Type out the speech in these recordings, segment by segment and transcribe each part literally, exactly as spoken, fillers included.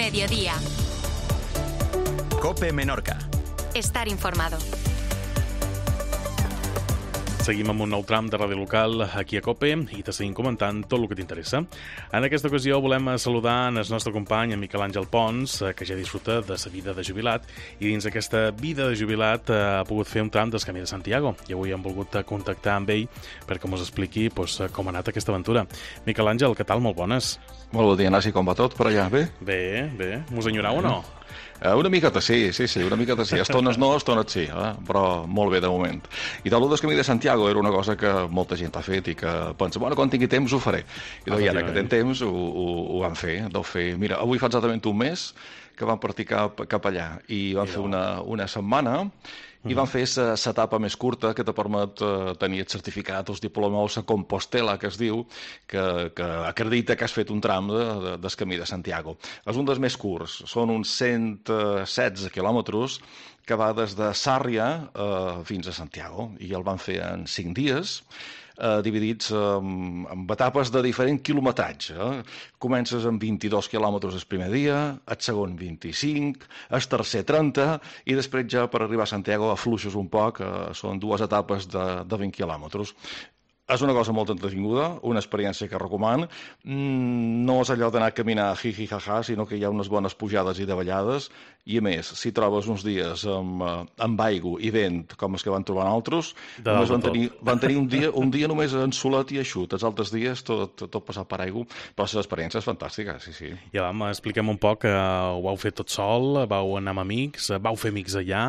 Mediodía. COPE Menorca. Estar informado. Seguim amb un nou tram de ràdio local aquí a COPE i te seguim comentant tot el que t'interessa. En aquesta ocasió volem saludar el nostre company, en Miquel Àngel Pons, que ja disfruta de sa vida de jubilat i dins d'aquesta vida de jubilat ha pogut fer un tram del Camí de Santiago i avui hem volgut contactar amb ell perquè ens expliqui doncs, com ha anat aquesta aventura. Miquel Àngel, què tal? Molt bones. Molt bon dia, Nasi, com va tot per allà? Bé? Bé, bé. Mos enyorau o no? Uh, una miqueta sí, sí, sí, una miqueta sí. Estones no, estones sí, eh? Però molt bé de moment. I tal del Camí de Santiago era una cosa que molta gent ha fet i que pensa, bueno, quan tingui temps ho faré. I doncs, ara que tenen temps ho, ho, ho van fer. Deu fer. Mira, avui fa exactament un mes que vam partir cap, cap allà i vam fer una, una setmana i van fer l'etapa més curta que te permet uh, tenir el certificat, els diplomes a Compostela, que es diu, que, que acredita que has fet un tram de, de, del Camí de Santiago. És un dels més curts, són uns cent setze quilòmetres que va des de Sàrria uh, fins a Santiago, i el van fer en cinc dies, eh, dividits en, en etapes de diferent quilometratge. Eh? Comences amb vint-i-dos quilòmetres el primer dia, el segon vint-i-cinc, el tercer trenta, i després ja per arribar a Santiago afluixes un poc, eh, són dues etapes de, de vint quilòmetres. És una cosa molt entretinguda, una experiència que recomano. Mm, no és allò d'anar a caminar hi-hi ha-ha, sinó que hi ha unes bones pujades i davallades, i a més, si trobes uns dies amb, amb aigua i vent, com els que van trobar altres, només van tenir, van tenir un dia, un dia només ensolat i eixut, els altres dies tot, tot passat per aigua, però l'experiència és fantàstica, sí, sí. Ja vam, expliquem un poc, eh, ho vau fer tot sol, vau anar amb amics, vau fer amics allà...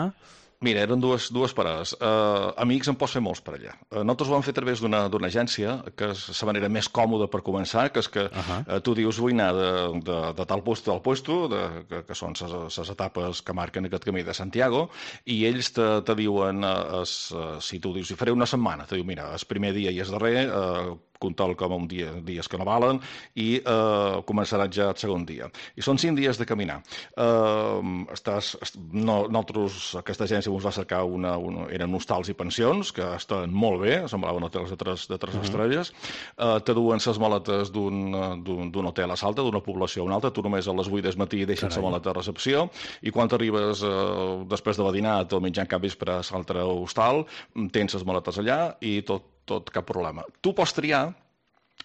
Mira, eren dues, dues parades. Uh, amics en pots fer molts per allà. Uh, nosaltres ho vam fer a través d'una agència, que és la manera més còmoda per començar, que és que uh -huh. uh, tu dius vull anar de, de, de tal puesto al puesto, de, que, que són les etapes que marquen aquest camí de Santiago, i ells te, te diuen, uh, es, uh, si tu dius, si faré una setmana, te diu, mira, el primer dia i el darrer, uh, comptar com un dia, dies que no valen, i eh, començarà ja el segon dia. I són cinc dies de caminar. Eh, estàs, no, nosaltres, aquesta agència ens va cercar una, una, eren hostals i pensions, que estan molt bé, semblaven hotels de tres, de tres uh -huh. estrelles, eh, te duen les maletes d'un hotel a l'altre, d'una població a una altra, tu només a les vuit del matí deixes la maleta a recepció, i quan arribes eh, després de badinat o mitjan cap vespre a l'altre hostal, tens les maletes allà i tot tot cap problema. Tu pots triar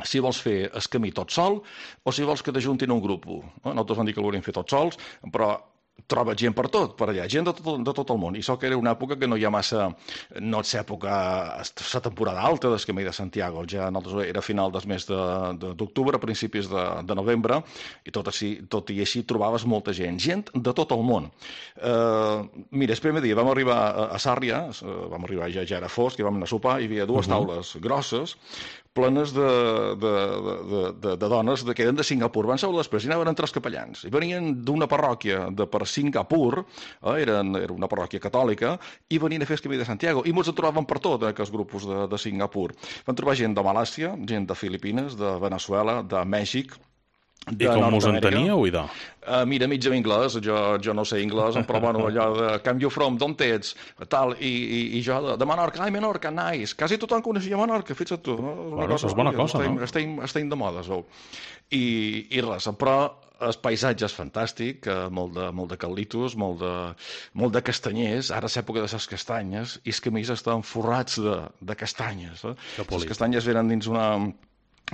si vols fer el camí tot sol o si vols que t'ajuntin un grup. Nosaltres vam dir que el volíem fer tots sols, però troba gent per tot, per allà, gent de tot, de tot el món. I això que era una època que no hi ha massa, no és època, la temporada alta del Camí de Santiago, ja nosaltres era final del mes d'octubre, principis de, de novembre, i tot, així, tot i així trobaves molta gent, gent de tot el món. Uh, mira, el primer dia vam arribar a, a Sàrria, uh, vam arribar ja, ja era fosc, i vam anar a sopar, i hi havia dues uh -huh. taules grosses, plenes de, de, de, de, de dones que eren de Singapur. Van seure després i anaven entre els capellans. I venien d'una parròquia de per Singapur, eh, eren, era una parròquia catòlica, i venien a fer el Camí de Santiago. I molts en trobaven per tot, eh, aquests grupos de, de Singapur. Van trobar gent de Malàisia, gent de Filipines, de Veneçuela, de Mèxic, I com us enteníeu, idò? Uh, mira, mig en anglès, jo, jo no sé anglès, però bueno, allò de come you from, d'on ets, tal, i, i, i jo de, de Menorca, ai, Menorca, nice. Quasi tothom coneixia Menorca, fixa't tu. No? Bueno, cosa, és bona cosa, estem, no? Estem, estem de moda, veu. I, I res, però el paisatge és fantàstic, molt de, molt de cal·litos, molt de, molt de castanyers, ara és època de les castanyes, i els camins estan forrats de, de castanyes. Eh? Les castanyes venen dins una...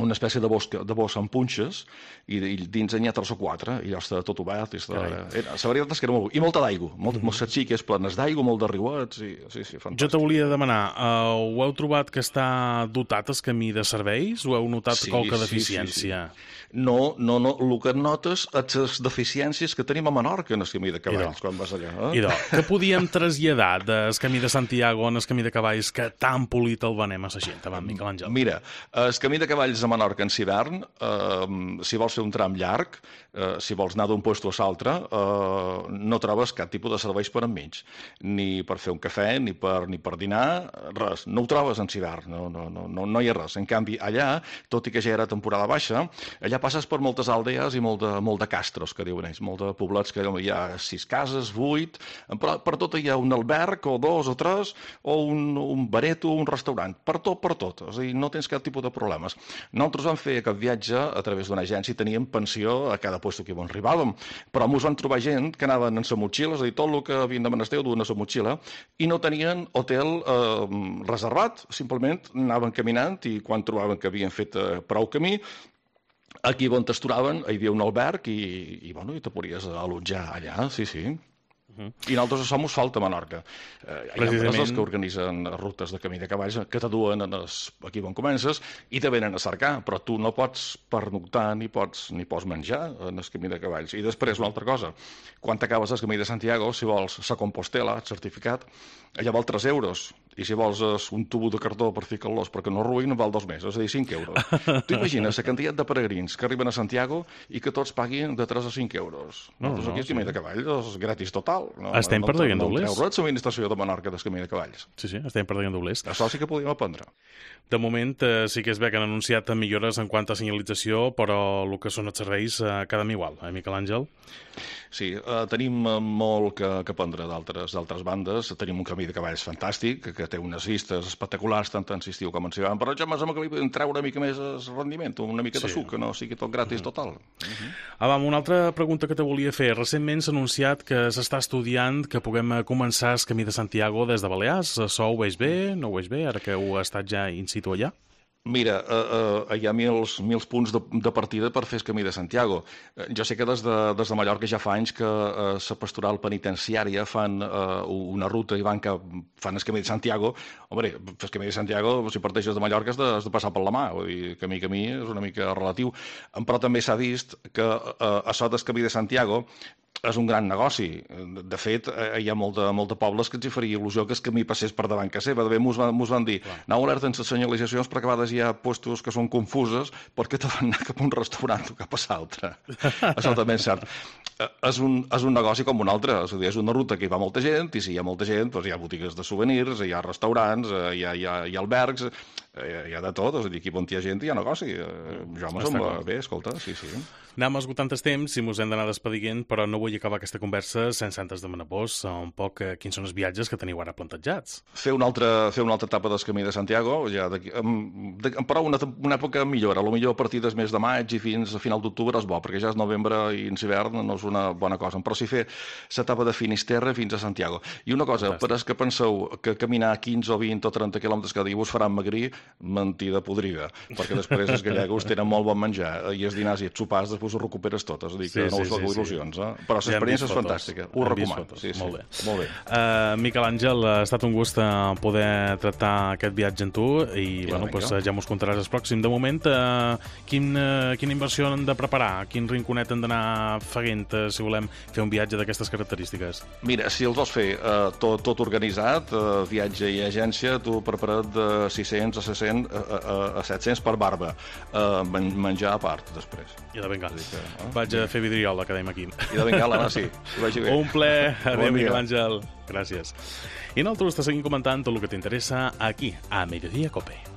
una espècie de bosc, de bosc amb punxes, i, i dins n'hi ha tres o quatre, i ja està tot obert. Està, era, la veritat és que era molt... I molta d'aigua, molt, mm. moltes xiques plenes d'aigua, molt de riuets, i sí, sí, fantàstic. Jo te volia demanar, uh, ho heu trobat que està dotat el camí de serveis, o heu notat sí, qualque sí, deficiència? Sí, sí. No, no, no, el que notes és les deficiències que tenim a Menorca en el camí de cavalls, quan vas allà. Eh? Idò, què podíem traslladar del camí de Santiago en el camí de cavalls que tan polit el venem a la gent, avant, Miquel Àngel? Mira, el camí de cavalls a Menorca en hivern, eh, si vols fer un tram llarg, eh, si vols anar d'un puesto a l'altre, eh, no trobes cap tipus de serveis per enmig, ni per fer un cafè, ni per, ni per dinar, res, no ho trobes en hivern, no, no, no, no, no hi ha res. En canvi, allà, tot i que ja era temporada baixa, allà passes per moltes aldees i molt de, molt de castros, que diuen ells, molt de poblats que hi ha sis cases, vuit, però per tot hi ha un alberg, o dos o tres, o un, un bareto, un restaurant, per tot, per tot, o sigui, no tens cap tipus de problemes. Nosaltres vam fer aquest viatge a través d'una agència i teníem pensió a cada lloc que on arribàvem, però ens van trobar gent que anaven en sa motxilla, és a dir, tot el que havien de menester ho duen a sa motxilla, i no tenien hotel eh, reservat, simplement anaven caminant i quan trobaven que havien fet eh, prou camí, aquí on t'esturaven hi havia un alberg i, i, bueno, i te podies allotjar allà, sí, sí. Uh-huh. I nosaltres som falta a Menorca. Eh, hi ha Precisament... empreses que organitzen rutes de camí de cavalls que t'aduen aquí on comences i te venen a cercar, però tu no pots pernoctar ni pots, ni pots menjar en el camí de cavalls. I després una altra cosa, quan t'acabes el camí de Santiago, si vols sa Compostela, el certificat, allà val tres euros. I si vols un tubo de cartó per ficar-los perquè no ruïn, val dos més, és a dir, cinc euros. Tu imagines la quantitat de peregrins que arriben a Santiago i que tots paguin de tres a cinc euros. No, Nosaltres no, aquí el camí sí. de cavalls és gratis total. No, estem no, perdent no, doblers. No treu res l'administració de Menorca del camí de cavalls. Sí, sí, estem perdent doblers. Això sí que podíem aprendre. De moment eh, sí que és bé que han anunciat millores en quant a senyalització, però el que són els serveis eh, quedem igual, eh, Miquel Àngel? Sí, eh, tenim molt que, que aprendre d'altres bandes. Tenim un camí de cavalls fantàstic, que, que té unes vistes espectaculars, tant en estiu com en hivern, però ja m'ha que li podem treure una mica més el rendiment, una mica sí. de suc, que no sigui tot gratis uh -huh. total. Uh -huh. Ah, va, una altra pregunta que te volia fer. Recentment s'ha anunciat que s'està estudiant que puguem començar el camí de Santiago des de Balears. Això ho veig bé? No ho veig bé, ara que heu estat ja in situ allà? Mira, uh, uh, hi ha mils, mils punts de, de partida per fer el camí de Santiago. Uh, jo sé que des de, des de Mallorca ja fa anys que la uh, pastoral penitenciària fan uh, una ruta i van que fan el camí de Santiago. Home, el camí de Santiago, si parteixes de Mallorca, has de, has de passar per la mà. Vull dir, camí a camí és una mica relatiu. Però també s'ha vist que uh, això del camí de Santiago és un gran negoci. De fet, hi ha molta, molta pobles que ens hi faria il·lusió que el camí passés per davant que seva. De bé, mos van, mos van dir, Clar. aneu alerta en les senyalitzacions perquè a vegades hi ha puestos que són confuses perquè te van anar cap a un restaurant o cap a l'altre. Això també és cert. És un, és un negoci com un altre. És a dir, és una ruta que hi va molta gent i si hi ha molta gent doncs hi ha botigues de souvenirs, hi ha restaurants, hi ha, hi ha, hi ha albergs, hi ha de tot. És a dir, aquí on hi ha gent hi ha negoci. Jo me sembla bé, escolta, sí, sí. Anem esgotant el temps i mos hem d'anar despedint, però no vull acabar aquesta conversa sense antes demanar-vos un poc quins són els viatges que teniu ara plantejats. Fer una altra, fer una altra etapa del camí de Santiago, ja de, de, però una, una època millor, a lo millor a partir del mes de maig i fins a final d'octubre és bo, perquè ja és novembre i en hivern no és una bona cosa, però sí fer l'etapa de Finisterre fins a Santiago. I una cosa, per als que penseu que caminar quinze o vint o trenta quilòmetres cada dia us faran magrir, mentida podrida, perquè després els gallegos tenen molt bon menjar i els dinars i els sopars després ho recuperes tot, és a dir, que sí, no us sí, sí, il·lusions, eh? Però l'experiència és fantàstica, ho recomano. Sí, sí. Molt bé. Molt bé. Uh, Miquel Àngel, ha estat un gust poder tractar aquest viatge amb tu i, I bueno, pues, ja mos contaràs el pròxim. De moment, uh, quin, uh, quina inversió han de preparar? Quin rinconet han d'anar fent uh, si volem fer un viatge d'aquestes característiques? Mira, si els vols fer uh, tot, tot organitzat, uh, viatge i agència, tu prepara't de sis-cents a set-cents a, a, a set-cents per barba. Uh, menjar a part, després. I de vengar. Que, eh? Vaig a fer vidriola, que dèiem aquí. I de vengar, no, sí. Un ple. Adéu, bon Miquel Àngel. Gràcies. I nosaltres te seguim comentant tot el que t'interessa aquí, a Mediodía Cope.